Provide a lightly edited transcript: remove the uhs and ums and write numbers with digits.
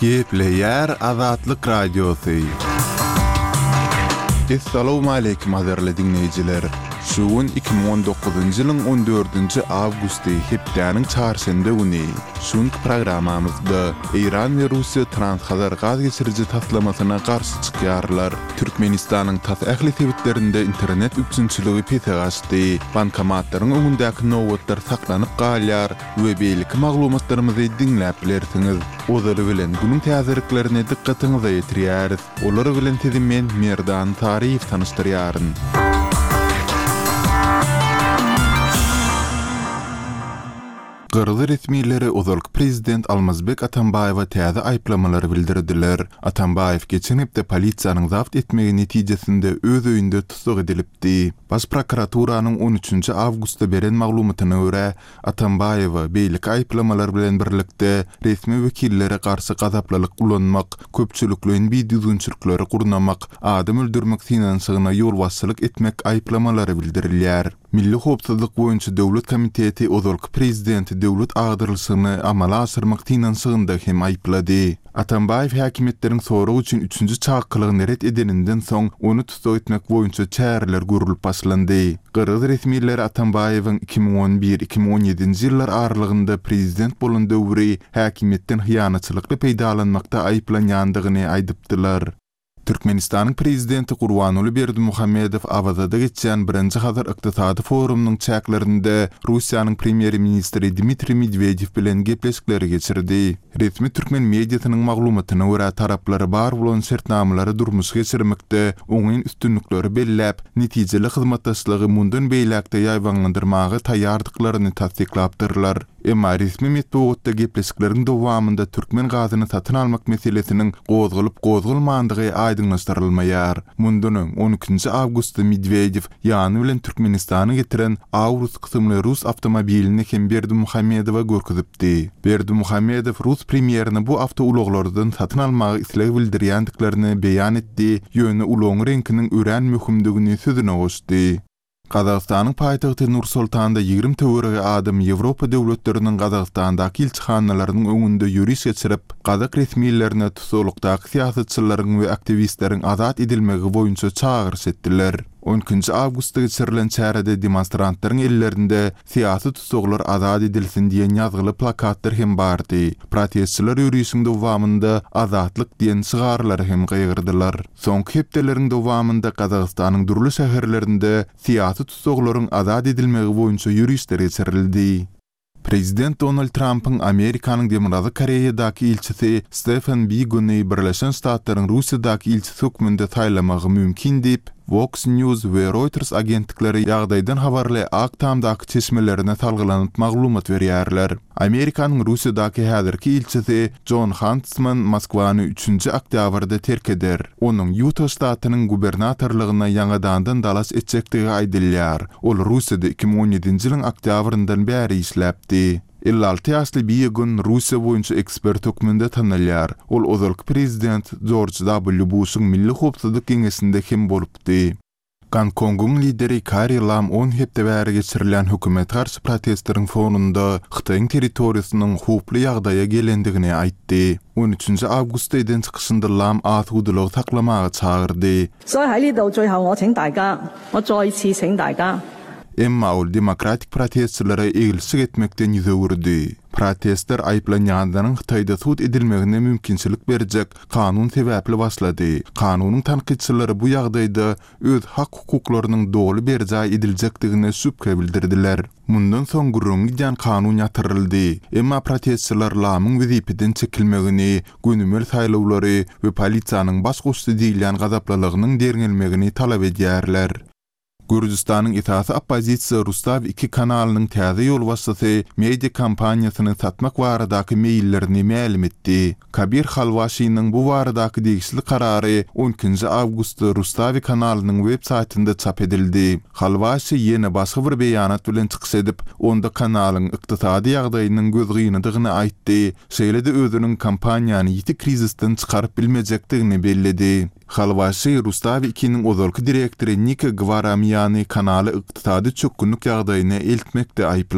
Gepleýär Azatlyk Radiosy. Essalawmaleýkim gadyrly diňleýjiler! Şu gün 2019-njy ýylyň on dördünji awgusty, hepdäniň çarşenbe güni. Şu günki programmamyzda Eýran we Russiýa Transhazar gaz geçiriji taslamasyna garşy çykýarlar. Türkmenistanyň tas ähli sebitlerinde internet üpjünçiligi pese gaçdy. Bankomatlaryň öňündäki nobatlar saklanyp galýar we beýleki maglumatlarymyzy diňläp bilersiňiz. Ozaly bilen günüň täzeliklerini dykgatyňyza ýetirýäris. Olar bilen sizi men Merdan Saryýew tanyşdyrýaryn. Gyrgyz resmileri ozalky prezident Almazbek Atambaýewe täze aýyplamalary bildirdiler. Atambaýew geçen hepde polisiýanyň zabt etmegi netijesinde öz öýünde tussag edilipdi. Baş prokuraturanyň on üçünji awgustda beren maglumatyna görä, Atambaýewe beýleki aýyplamalar bilen birlikde resmi wekillere garşy gazaplylyk ulanmak, köpçülikleýin bidüzgünçilikleri gurnamak, adam öldürmek synanyşygyna ýolbaşçylyk etmek aýyplamalary bildirilýär. Milli howpsuzlyk boýunça döwlet komiteti ozalky prezidenti döwlet agdarylyşygyny amala aşyrmak synanyşygynda hem aýyplady. Atambaýew häkimiýetleriň sorag üçin üçünji çakylygyny ret edeninden soň, ony tussag etmek boýunça çäreler görlüp başlandy. Gyrgyz resmileri Atambaýewiň 2011, 2017-nji ýyllar aralygynda prezident bolan döwri häkimiýetden hyýanatçylykly peýdalanmakda aýyplanýandygyny aýdypdylar. Türkmenistanyň Prezidenti Gurbanguly Berdimuhamedow Awazada geçýän birinji Hazar ykdysady forumynyň çäklerinde Russiýanyň Premýer-ministri Dmitriý Medwedew bilen gepleşikleri geçirdi. Resmi türkmen mediasynyň maglumatyna görä, taraplar bar bolan şertnamalary durmuşa geçirmekde oňyn üstünlikleri belläp, netijeli hyzmatdaşlygy mundan beýläk-de ýaýbaňlandyrmaga taýýardyklaryny tassyklapdyrlar. Emma resmi metbugatda gepleşikleriň dowamynda türkmen gazyny satyn almak meselesiniň gozgalyp-gozgalmandygy aýdyňlaşdyrylmaýar. Mundan öň, on ikinji awgustda Medwedew ýany bilen Türkmenistana getiren Aurus kysymly rus awtomobilini hem Berdimuhamedowa görkezipdi. Berdimuhamedow rus premýerine bu awtoulaglardan satyn almaga isleg bildirýändiklerini beýan etdi, ýöne ulagyň reňkiniň örän möhümdigini sözüne goşdy. Gazagystanyň paýtagty Nur-Sultanda 20 töweregi adam Ýewropa döwletleriniň Gazagystandaky ilçihanalarynyň öňünde ýöriş geçirip, gazak resmilerine tussaglykdaky syýasatçylaryň we aktiwistleriň azat edilmegi boýunça çagyryş etdiler. On ikinji awgustda geçirilen çärede demonstrantlaryň ellerinde Syýasy tussaglar azat edilsin diýen ýazgyly plakatlar hem bardy. Protestçiler ýörişiň dowamynda Azatlyk diýen şygarlary hem gygyrdylar. Soňky hepdeleriň dowamynda Gazagystanyň dürli şäherlerinde syýasy tussaglaryň azat edilmegi boýunça ýörişler geçirildi. Prezident Donald Trampyň Amerikanyň Demirgazyk Koreýadaky ilçisi Stefen Biguny Birleşen Ştatlaryň Russiýadaky ilçisi hökmünde saýlamagy mümkin diýip, Vox News we Reuters agentlikleri ýagdaýdan habarly Ak Tamdaky çeşmelerine salgylanyp maglumat berýärler. Amerikanyň Russiýadaky häzirki ilçisi Jon Hantsman Moskwany üçünji oktýabrda terk eder. Onuň Ýuta ştatynyň gubernatorlygyna ýaňadandan dalaş etjekdigi aýdylýar. Ol Russiýada 2017-nji ýylyň oktýabryndan bäri işläpdi. 56 ýaşly Biegun Russiýa boýunça ekspert hökmünde tanalýar. Ol ozalky prezident Jorj W. Buşuň Milli howpsuzlyk geňeşinde hem bolupdy. Gonkongyň lideri Karri Lam on hepde bäri geçirilýän hökümete garşy protestleriň fonunda Hytaýyň territoriýasynyň howply ýagdaýa gelendigini aýtdy. On üçünji awgustda eden çykyşynda Lam asudalygy saklamaga çagyrdy. Emma ol demokratik protestçilere eglişik etmekden ýüz öwürdi. Protestler aýyplanýanlaryň Hytaýda sud edilmegine mümkinçilik berjek kanun sebäpli başlady. Kanunyň tankytçylary bu ýagdaýda öz hak-hukuklarynyň doly berjaý ediljekdigine şübhe bildirdiler. Mundan soň gürrüňi gidýän kanun ýatyryldy. Emma protestçiler Lamyň wezipeden çekilmegini, gönümel saýlawlary we polisiýanyň baş goşdy diýilýän gazaplylygynyň derňelmegini talap edýärler. Gürjüstanyň esasy oppozisiýa Rustaw iki kanalynyň täze ýolbaşçysy media kompaniýasyny satmak baradaky meýillerini mälim etdi. Kabir Halwaşiniň bu baradaky degişli karary on ikinji awgustda Rustawi kanalynyň web saýtynda çap edildi. Halwaşi ýene başga bir beýanat bilen çykyş edip, onda kanalyň ykdysady ýagdaýynyň gözgynydygyny aýtdy, şeýle-de özüniň kompaniýany ýiti krizisden çykaryp bilmejekdigini belledi. Halwaşi Rustawi II-niň ozalky direktory Nika Gwaramiýany kanaly ykdysady çökgünlik ýagdaýyna eltmekde aýyplady.